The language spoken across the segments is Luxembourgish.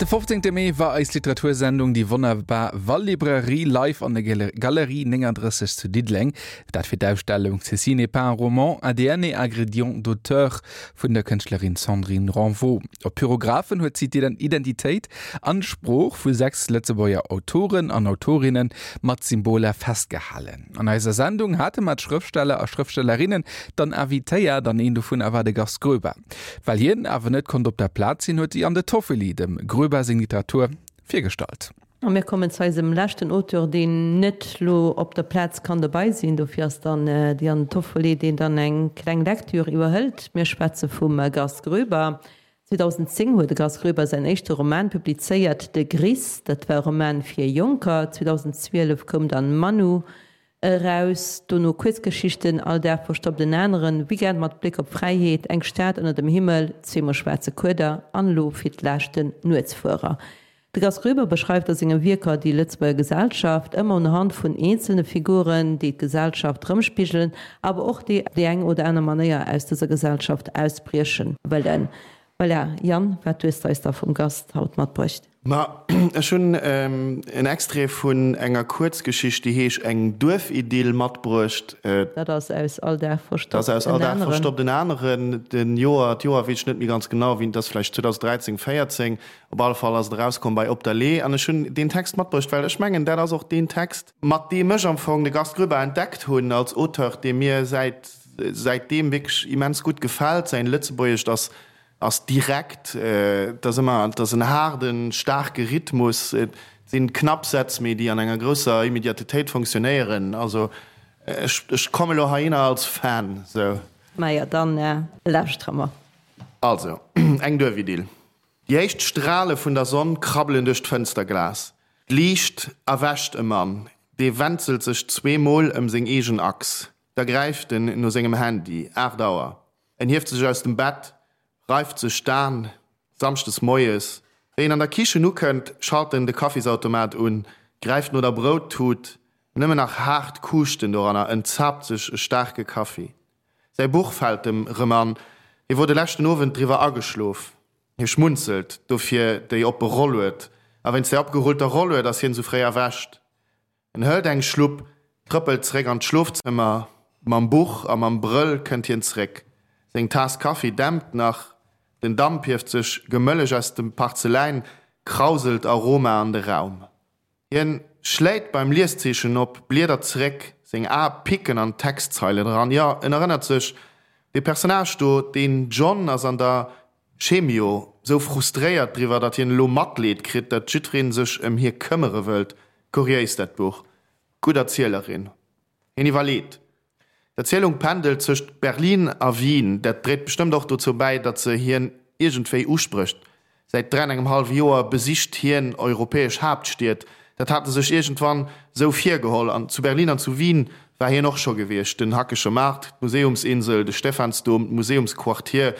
De 15 Mee war eis Literatursendung Déi wonnerbar Wallibrairie live an der Galerie 39 zu Diddeleng. Dat fir d'Ausstellung Ceci n'est pas un roman, ADN et ingrédients d'auteur vun der Kënschtlerin Sandrine Renvaux. Op Pyrographen huet si d'Identitéit an d'Sprooch vu 6 Lëtzebuerger Autoren an Autorinnen mat Symboler festgehalen. An eiser Sendung hate mer d'Schrëftsteller a Schrëftstellerinnen dann invitéiert an een dovunner war de Gast Groeber. Well hien awer net konnt op der Plaz sinn, huet d'Diane Toffoli dem Groeber seng Literatur virgestallt. A mir kommen zu eisem leschten Auteur, deen net lo op der Plaz kann dobei sinn. Dofir ass dann d'Diane Toffoli, deen dann eng kleng Lecture iwwerhëlt. Mir schwätze vum Gast Groeber. 2010 huet de Gast Groeber säin éischte Roman publizéiert, De Gris. Dat war e Roman fir Jonker. 2012 koum dann Manu Eraus, dono Kuerzgeschichten, All Dag verstoppt en aneren, Weekend mat Bléck op Fräiheet, Eng Stad ënner dem Himmel, Zweemol schwaarze Kueder an elo fir d'lescht den Nuetsfuerer. De Gast Groeber beschreift a senge Wierker déi Lëtzebuerger Gesellschaft, ëmmer unhand vun eenzelne Figuren, déi d'Gesellschaft erëmspigelen, awer och déi op déi eng oder aner Manéier aus dëser Gesellschaft ausbrieche wëllen. Voilà, Yann, wat hues de eis da vum Gast haut matbruecht? Ma ech hunn en Extrait vun enger Kuerzgeschicht, déi heesch Eng Duerfidyll matbruecht. Dat ass aus All Dag verstoppt en aneren. Dat ass aus All Dag verstoppt en aneren. Den Joer, d'Joer weess ech net méi ganz genau, wéi, et ass vläicht 2013, 14. Op alle Fall ass et erauskomm bei Op der Lee. An ech hunn deen Text matbruecht, well ech mengen, dat ass och deen Text, mat deem ech am Fong de Gast Groeber entdeckt hunn als Auteur, dee mir säit, säitdeem wierklech immens gutt gefält. Säin Lëtzebuergescht ass Ass direkt, et ass ëmmer, et ass en haarden, staarke Rhythmus, et sinn knapp Sätz, mee déi an enger grousser Immediatetéit fonctionnéieren. Also ech, ech komme lo heihinner als Fan, sou. Majo, dann lauschtere mer. Also, eng Duerfidyll. Déi éischt Strale vun der Sonn krabbelen duerch d'Fënsterglas. D'Liicht erwächt e Mann, dee wenzelt sech zweemol ëm seng eegen Achs. Da gräift en no sengem Handy. 8 Auer. En hieft sech aus dem Bett, reift sech d'An, Samschdes moies. Wéi en an der Kichen ukënnt, schalt en de Kaffisautomat un, gräift no der Brouttut, nëmmen nach haart Kuuschten doranner, en zaapt sech e staarke Kaffi. Säi Buch fält em rëm an, hie wor de leschten Owend driwwer ageschlof. Hie schmunzelt, dofir déi oppe Rollued, a wéinst där opgerullter Rollued ass hien esou fréi erwächt. En hëlt eng Schlupp, trëppelt zeréck an d'Schlofzëmmer. Mam Buch a mam Brëll kënnt hien zeréck. Seng Taass Kaffi dämpt nach, den Damp hieft sech gemëlleg aus dem Parzeläin, krauselt Aroma an de Raum. Hien schléit beim Lieszeechen op, bliedert zeréck, seng Ae picken an d'Textzeilen eran. Jo, en erënnert sech, dee Personnage do, deen John ass an der Chemio, sou frustréiert driwwer, datt hien elo Matleed kritt, datt jiddwereen sech ëm hie këmmere wëllt. Kuriéis dat Buch. Gutt Erzielerin. Hien iwwerleet. D'Erzielung pendelt zwëscht Berlin a Wien. Dat dréit bestëmmt och dozou bäi, datt se hien iergendwéi usprécht. Säit dräi an engem hallwe Joer besicht hien europäesch Haaptstied. Dat hat e sech iergendwann sou virgeholl. An zu Berlin an zu Wien war hien och scho gewiescht. Den Hackesche Maart, d'Museumsinsel, de Stephansdom, d'Museumsquartier.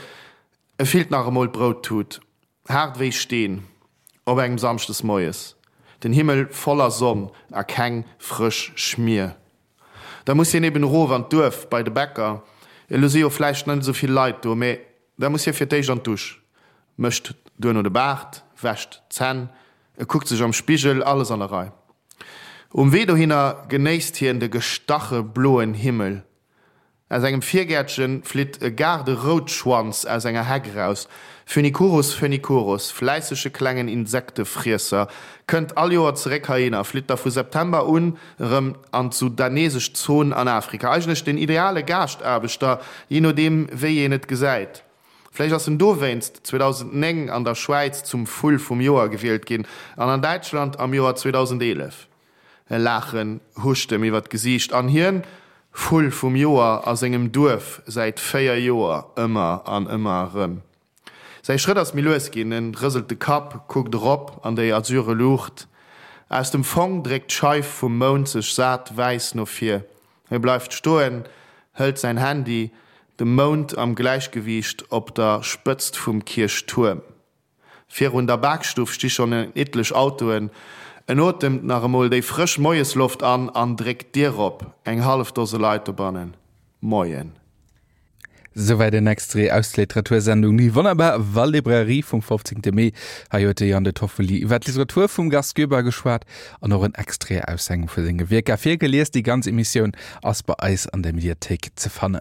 E fillt nach emol d'Brouttut, haart wéi Steen, op engem Samschdes moies, den Himmel voller Sonn a keng frësch Schmier. Da muss hien eben erof an d'Duerf bei de Bäcker, elo si jo vläicht net esou vill Leit do, mee da muss hie fir d'éischt an d'Dusch, mécht duerno de Baart, wäscht d'Zänn, e kuckt sech am Spigel, alles an der Rei. Um Wee dohinner genéisst hien de gestache bloen Himmel, Aus engem Virgäertchen flitt e Gaarderoutschwanz aus enger Heck eraus. Phoenicurus phoenicurus, fläissege klengen Insektefriesser, kënnt all Joer zeréck heihinner, flitt da vu September un erëm an d'sudanesesch Zon an Afrika. Eigentlech den ideale Gaaschtaarbechter, jee nodeem wéi een et gesäit. Vläicht ass en dowéinst 2009 an der Schwäiz zum Vull vum Joer gewielt ginn an an Däitschland am Joer 2011. E Laachen huscht em iwwer d'Gesiicht an hien, Vull vum Joer a sengem Duerf säit 4 Joer, ëmmer an ëmmer erëm. Säi Schrëtt ass méi lues ginn, en rëselt de Kapp, kuckt erop an déi azure Luucht. Aus dem Fong dréckt d'Scheif vum Mound sech sat wäiss no vir. Hie bleift stoen, hëlt säin Handy, de Mound am Gläichgewiicht op der Spëtzt vum Kierchtuerm. Virun der Bakstuff sti schonn en etlech Autoen. En otemt nach emol déi frësch Moiesloft an an dréckt d'Dier op. Eng hallef Dose Leit dobannen. Moien. Souwäit en Extrait aus der Literatursendung Die wunderbar Wallibrairie vum 15. Mee. Hei huet de Jan De Toffoli iwwer d'Literatur vum Gast Goeber geschwat an och en Extrait aus engem vu senge Wierker virgelies. Déi ganz Emissioun ass bei eis an der Mediathéik ze fannen.